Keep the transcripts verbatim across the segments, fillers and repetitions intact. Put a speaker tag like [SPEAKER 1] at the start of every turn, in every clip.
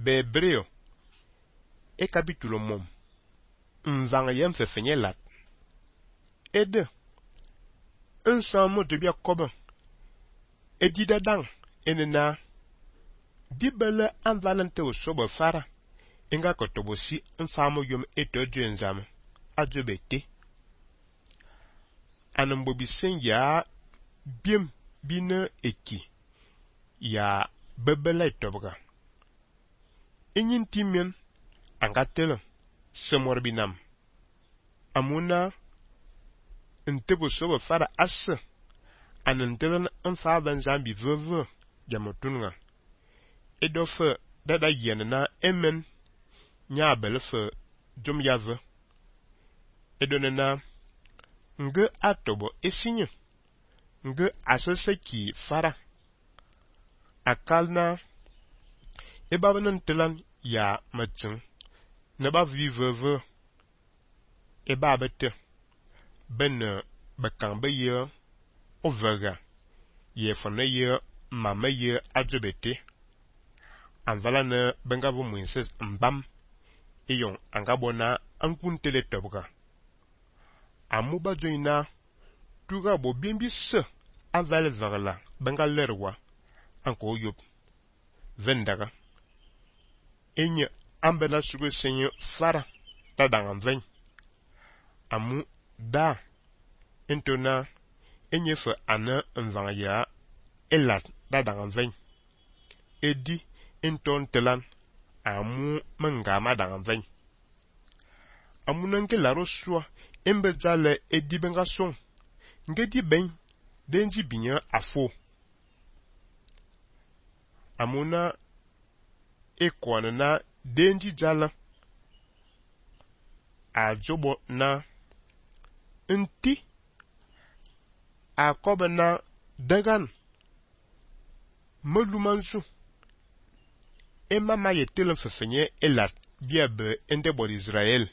[SPEAKER 1] Bebreo e capítulo mom mvang yem fe fenye lat e de ensemble de bia kobe e di dadang enena di bele anvalente o sobo fara inga kotobosi mfamo yom eto dwenzam adjobete anembo bisen ya biem bine eki ya bebele tobga inyin timen angatelo semor binam amuna ntebo sobo fara asse anentelen mfa banzambi veve jamotunga edofe dada yenna emen nya belfe jom yave edonena nge atobo esinye nge aseseki fara akalna ebabanen telan ya matsin neba viveve eba bete ben bekang be ye ovega ye fone ye mama ye adjobete anvala ne bengavo muinses mbam eyon angabona ankuntele tobga amuba joina tuga bo bimbi se aval verla bengalerwa anko yop vendaga enye ambena sugo senyo fara tadangam ven amu da entona enye fe ana mvanga ya elat tadangam ven edi enton telan amu mengama dangam ven amu nanke laro swa embe zale edi benga son ngedi ben denji binya afo amuna ekwana na denji jala a jobo na nti a kobe na dagan melumansu ema maye telen fefenye elat biabe endebor Israel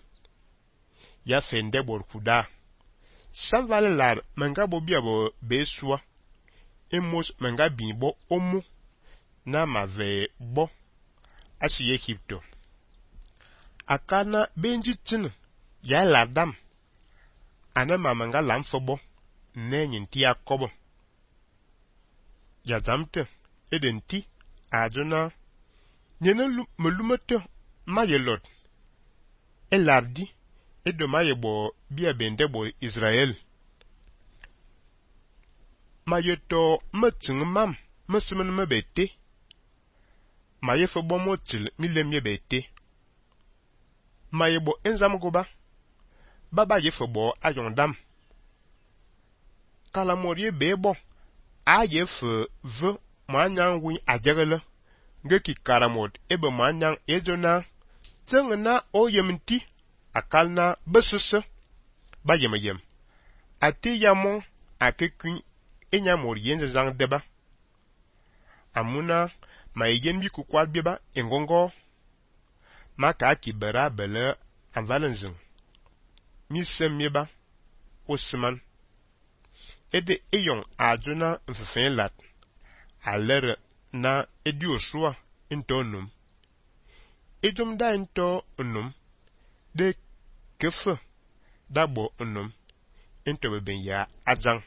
[SPEAKER 1] ya fe endebor kuda san vale lar menga bo biabo beswa emos menga bibo omu na mave bo asi Egypto akana benji tin ya ladam ana mamanga lamfobo nenyin ti akobo ya zamte edenti aduna nyene melumete mayelot elardi edo mayebo bia bendebo Israel mayeto metin mam mesmen mebete mayefo bomotil milemye bete mayebo enzam goba baba yefo bo ayondam kala morie bebo ayefo ve manyang wi ajegele ngeki karamod ebe manyang ejona tengna oyemti akalna besese bayemayem ati yamon akekun enya morie nzang deba amuna mayen bi kukwal biba engongo maka kibera bele anvalenzing mi semieba osman ede eyon ajuna mfefen lat alere na edi osua into num ejum da into num de kefe dabo num into beben ya azang